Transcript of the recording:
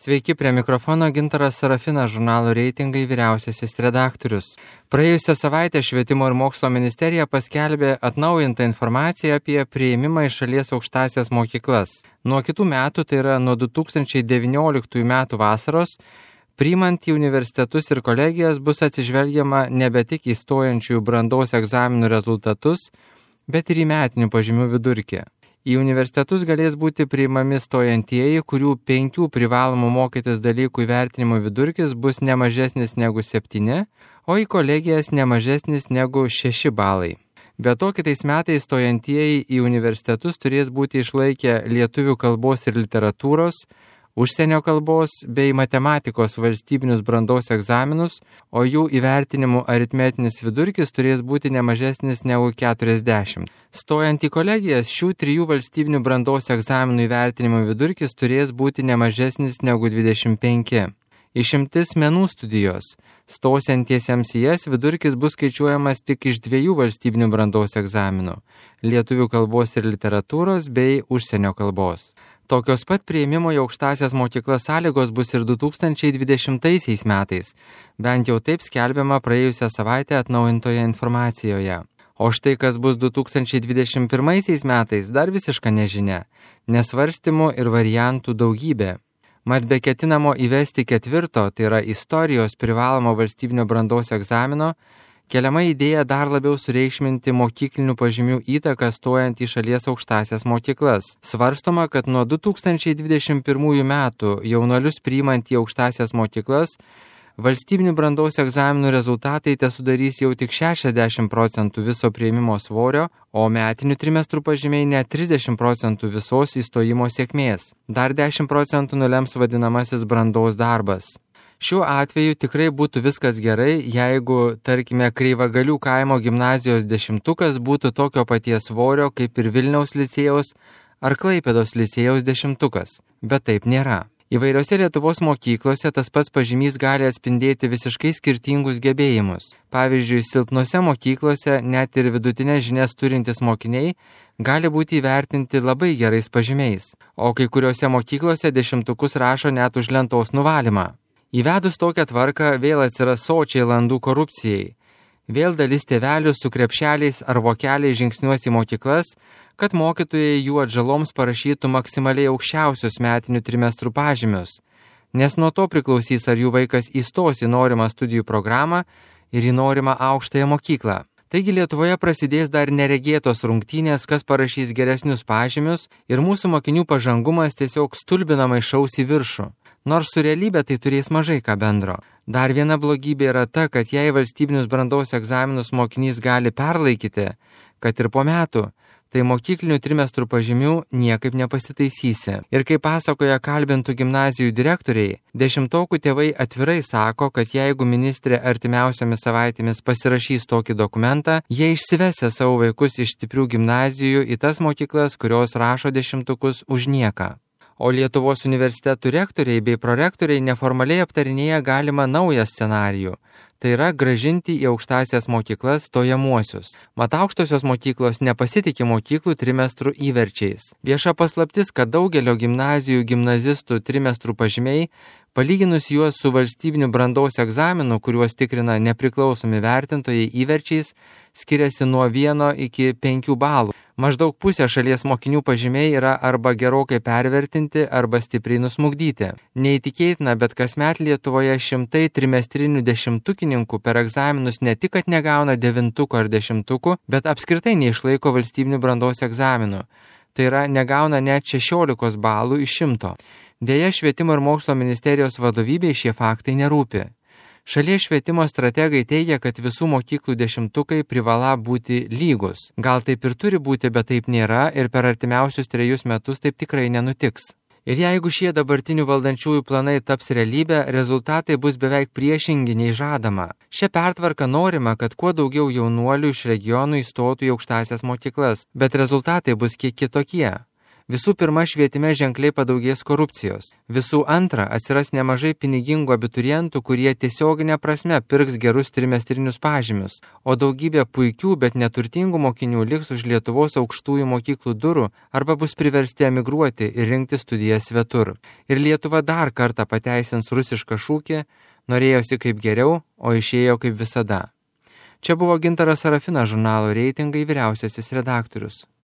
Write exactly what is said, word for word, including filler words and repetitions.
Sveiki, prie mikrofono Gintaras Sarafinas, žurnalo Reitingai vyriausiasis redaktorius. Praėjusią savaitę Švietimo ir mokslo ministerija paskelbė atnaujintą informaciją apie priėmimą į šalies aukštąsias mokyklas. Nuo kitų metų, tai yra nuo du tūkstančiai devynioliktųjų metų vasaros, priimant į universitetus ir kolegijas bus atsižvelgiama nebe tik į stojančiųjų brandos egzaminų rezultatus, bet ir į metinių pažymių vidurkį. Į universitetus galės būti priimami stojantieji, kurių penkių privalomų mokytis dalykų įvertinimo vidurkis bus nemažesnis negu septyni, o į kolegijas nemažesnis negu šeši balai. Be to, kitais metais stojantieji į universitetus turės būti išlaikę lietuvių kalbos ir literatūros, užsienio kalbos bei matematikos valstybinius brandos egzaminus, o jų įvertinimų aritmetinis vidurkis turės būti nemažesnis negu keturiasdešimt. Stojant į kolegijas, šių trijų valstybinių brandos egzaminų įvertinimo vidurkis turės būti nemažesnis negu dvidešimt penki. Išimtis menų studijos. Stosiantiesiems į jas vidurkis bus skaičiuojamas tik iš dviejų valstybinių brandos egzaminų – lietuvių kalbos ir literatūros bei užsienio kalbos. Tokios pat priėmimo į aukštąsias mokyklas sąlygos bus ir du tūkstančiai dvidešimtaisiais metais, bent jau taip skelbiama praėjusią savaitę atnaujintoje informacijoje. O štai kas bus du tūkstančiai dvidešimt pirmaisiais metais dar visiška nežinia, nesvarstymų ir variantų daugybė. Mat be ketinamo įvesti ketvirto, tai yra istorijos privalomo valstybinio brandos egzamino, keliama idėja dar labiau sureikšminti mokyklinių pažymių įtaką stojant į šalies aukštąsias mokyklas. Svarstoma, kad nuo du tūkstančiai dvidešimt pirmųjų metų jaunuolius priimant į aukštąsias mokyklas, valstybinių brandos egzaminų rezultatai tesudarys jau tik šešiasdešimt procentų viso priėmimo svorio, o metinių trimestrų pažymiai net trisdešimt procentų visos įstojimo sėkmės. Dar dešimt procentų nulems vadinamasis brandos darbas. Šiuo atveju tikrai būtų viskas gerai, jeigu, tarkime, Kreivagalių kaimo gimnazijos dešimtukas būtų tokio paties svorio kaip ir Vilniaus licėjaus ar Klaipėdos licėjaus dešimtukas, bet taip nėra. Įvairiose Lietuvos mokyklose tas pats pažymys gali atspindėti visiškai skirtingus gebėjimus. Pavyzdžiui, silpnose mokyklose net ir vidutinės žinias turintys mokiniai gali būti įvertinti labai gerais pažymiais, o kai kuriuose mokyklose dešimtukus rašo net už lentos nuvalymą. Įvedus tokią tvarką vėl atsiras sočiai landų korupcijai. Vėl dalis tėvelių su krepšeliais ar vokeliais žingsniuos į mokyklas, kad mokytojai jų atžaloms parašytų maksimaliai aukščiausius metinių trimestrų pažymius, nes nuo to priklausys, ar jų vaikas įstos į norimą studijų programą ir į norimą aukštąją mokyklą. Taigi Lietuvoje prasidės dar neregėtos rungtynės, kas parašys geresnius pažymius ir mūsų mokinių pažangumas tiesiog stulbinamai šaus į viršų. Nors su realybė tai turės mažai ką bendro. Dar viena blogybė yra ta, kad jei valstybinius brandos egzaminus mokinys gali perlaikyti, kad ir po metų, tai mokyklinių trimestrų pažymių niekaip nepasitaisysi. Ir kaip pasakoja kalbintų gimnazijų direktoriai, dešimtokų tėvai atvirai sako, kad jeigu ministrė artimiausiomis savaitėmis pasirašys tokį dokumentą, jie išsivesia savo vaikus iš stiprių gimnazijų į tas mokyklas, kurios rašo dešimtukus už nieką. O Lietuvos universitetų rektoriai bei prorektoriai neformaliai aptarinėja galimą naują scenarijų. Tai yra gražinti į aukštąsias mokyklas stojamuosius. Mat aukštosios mokyklos nepasitikė mokyklų trimestrų įverčiais. Vieša paslaptis, kad daugelio gimnazijų gimnazistų trimestrų pažymiai, palyginus juos su valstybiniu brandos egzaminu, kuriuos tikrina nepriklausomi vertintojai įverčiais, skiriasi nuo vieno iki penkių balų. Maždaug pusė šalies mokinių pažymiai yra arba gerokai pervertinti, arba stipriai nusmugdyti. Neįtikėtina, bet kasmet Lietuvoje šimtai trimestrinių dešimtukininkų per egzaminus ne tik, kad negauna devintukų ar dešimtukų, bet apskritai neišlaiko valstybinių brandos egzaminų. Tai yra, negauna net šešiolikos balų iš šimto. Deja, Švietimo ir mokslo ministerijos vadovybei šie faktai nerūpi. Šalies švietimo strategai teigia, kad visų mokyklų dešimtukai privala būti lygus. Gal taip ir turi būti, bet taip nėra ir per artimiausius trejus metus taip tikrai nenutiks. Ir jeigu šie dabartinių valdančiųjų planai taps realybė, rezultatai bus beveik priešingi nei žadama. Šia pertvarka norima, kad kuo daugiau jaunuolių iš regionų įstotų į aukštąsias mokyklas, bet rezultatai bus kiek kitokie. Visų pirma, švietime ženkliai padaugės korupcijos. Visų antra, atsiras nemažai pinigingų abiturientų, kurie tiesioginė prasme pirks gerus trimestrinius pažymius, o daugybė puikių, bet neturtingų mokinių liks už Lietuvos aukštųjų mokyklų durų arba bus priversti emigruoti ir rinkti studijas svetur. Ir Lietuva dar kartą pateisins rusišką šūkį: norėjosi kaip geriau, o išėjo kaip visada. Čia buvo Gintaras Sarafinas, žurnalo Reitingai vyriausiasis redaktorius.